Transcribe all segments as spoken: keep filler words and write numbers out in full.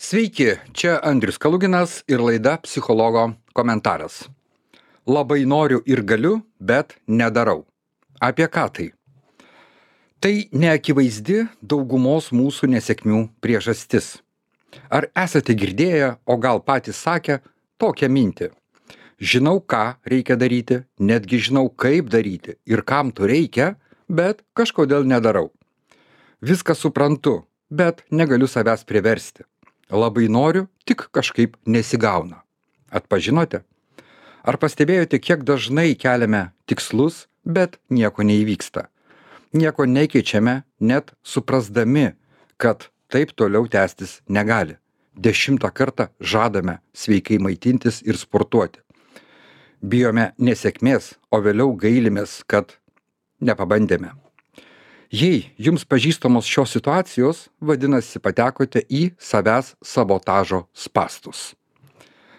Sveiki, čia Andrius Kaluginas ir laida Psichologo komentaras. Labai noriu ir galiu, bet nedarau. Apie ką tai? Tai neakivaizdi daugumos mūsų nesėkmių priežastis. Ar esate girdėję, o gal patys sakę, tokią mintį? Žinau, ką reikia daryti, netgi žinau, kaip daryti ir kam to reikia, bet kažkodėl nedarau. Viską suprantu, bet negaliu savęs priversti. Labai noriu, tik kažkaip nesigauna. Atpažinote? Ar pastebėjote, kiek dažnai keliame tikslus, bet nieko neįvyksta? Nieko nekeičiame, net suprasdami, kad taip toliau tęstis negali. Dešimtą kartą žadame sveikai maitintis ir sportuoti. Bijome nesėkmės, o vėliau gailimės, kad nepabandėme. Jei jums pažįstamos šios situacijos, vadinasi patekote į savęs sabotažo spąstus.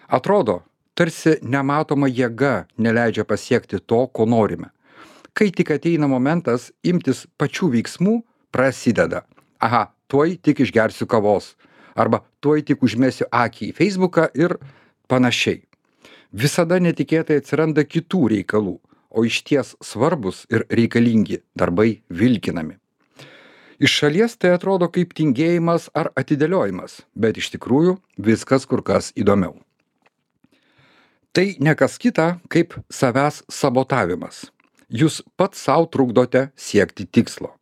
Atrodo, tarsi nematoma jėga neleidžia pasiekti to, ko norime. Kai tik ateina momentas imtis pačių veiksmų, prasideda. Aha, tuoj tik išgersiu kavos. Arba tuoj tik užmesiu akį į Facebooką ir panašiai. Visada netikėtai atsiranda kitų reikalų, o išties svarbus ir reikalingi darbai vilkinami. Iš šalies tai atrodo kaip tingėjimas ar atidėliojimas, bet iš tikrųjų viskas kur kas įdomiau. Tai ne kas kita kaip savęs sabotavimas. Jūs pats savo trukdote siekti tikslo.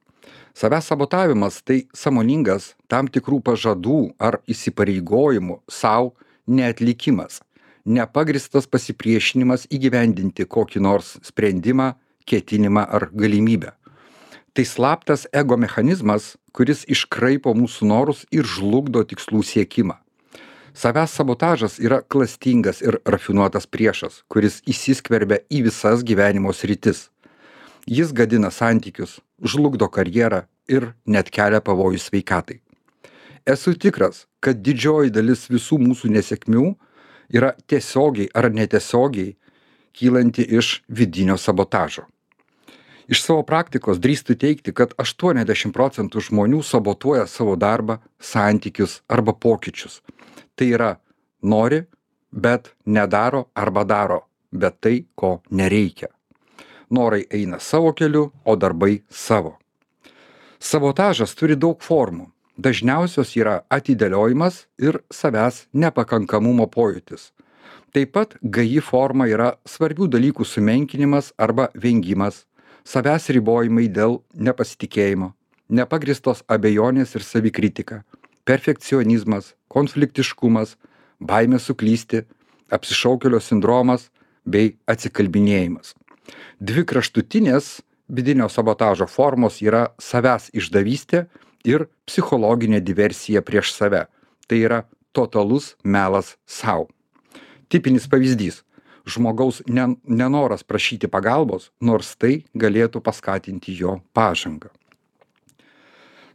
Savęs sabotavimas tai sąmoningas tam tikrų pažadų ar įsipareigojimų savo neatlikimas. Nepagristas pasipriešinimas įgyvendinti kokį nors sprendimą, ketinimą ar galimybę. Tai slaptas ego mechanizmas, kuris iškraipo mūsų norus ir žlugdo tikslų siekimą. Savęs sabotažas yra klastingas ir rafinuotas priešas, kuris įsiskverbia į visas gyvenimo sritis. Jis gadina santykius, žlugdo karjerą ir net kelia pavojų sveikatai. Esu tikras, kad didžioji dalis visų mūsų nesėkmių yra tiesiogiai ar netiesiogiai kylanti iš vidinio sabotažo. Iš savo praktikos drįstu teigti, kad aštuoniasdešimt procentų žmonių sabotuoja savo darbą, santykius arba pokyčius. Tai yra nori, bet nedaro arba daro, bet tai, ko nereikia. Norai eina savo keliu, o darbai savo. Sabotažas turi daug formų. Dažniausios yra atidėliojimas ir savęs nepakankamumo pojūtis. Taip pat gaji forma yra svarbių dalykų sumenkinimas arba vengimas, savęs ribojimai dėl nepasitikėjimo, nepagristos abejonės ir savikritika, perfekcionizmas, konfliktiškumas, baimė suklysti, apsišaukėlio sindromas bei atsikalbinėjimas. Dvi kraštutinės vidinio sabotažo formos yra savęs išdavystė ir psichologinė diversija prieš save. Tai yra totalus melas sau. Tipinis pavyzdys. Žmogaus nenoras prašyti pagalbos, nors tai galėtų paskatinti jo pažangą.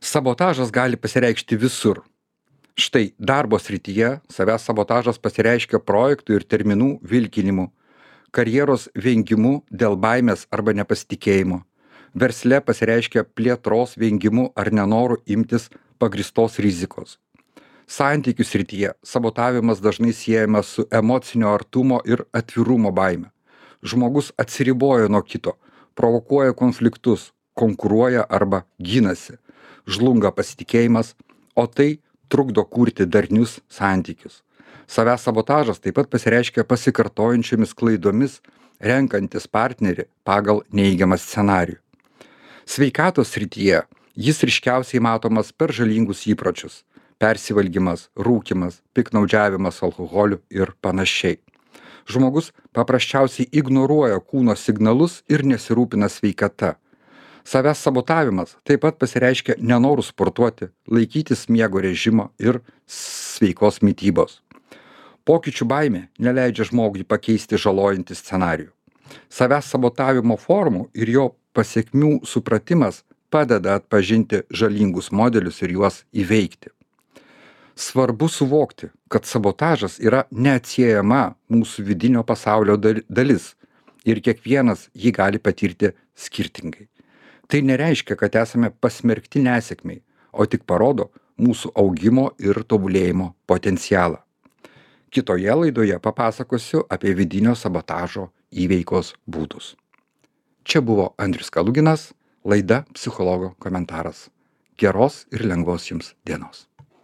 Sabotažas gali pasireikšti visur. Štai darbo srityje savęs sabotažas pasireiškia projektų ir terminų vilkinimu, karjeros vengimu dėl baimės arba nepasitikėjimo. Versle pasireiškia plėtros vengimu ar nenoru imtis pagristos rizikos. Santykių srityje sabotavimas dažnai siejamas su emocinio artumo ir atvirumo baime. Žmogus atsiriboja nuo kito, provokuoja konfliktus, konkuruoja arba ginasi, žlunga pasitikėjimas, o tai trukdo kurti darnius santykius. Savęs sabotažas taip pat pasireiškia pasikartojančiomis klaidomis, renkantis partnerį pagal neigiamą scenarijų. Sveikatos srityje jis ryškiausiai matomas per žalingus įpročius – persivalgymas, rūkymas, piktnaudžiavimas alkoholiu ir panašiai. Žmogus paprasčiausiai ignoruoja kūno signalus ir nesirūpina sveikata. Savęs sabotavimas taip pat pasireiškia nenoru sportuoti, laikytis miego režimo ir sveikos mitybos. Pokyčių baimė neleidžia žmogui pakeisti žalojantį scenarijų. Savęs sabotavimo formų ir jo pasekmių supratimas padeda atpažinti žalingus modelius ir juos įveikti. Svarbu suvokti, kad sabotažas yra neatsiejama mūsų vidinio pasaulio dalis ir kiekvienas jį gali patirti skirtingai. Tai nereiškia, kad esame pasmerkti nesėkmei, o tik parodo, mūsų augimo ir tobulėjimo potencialą. Kitoje laidoje papasakosiu apie vidinio sabotažo įveikos būdus. Čia buvo Andrius Kaluginas, laida Psichologo komentaras. Geros ir lengvos jums dienos.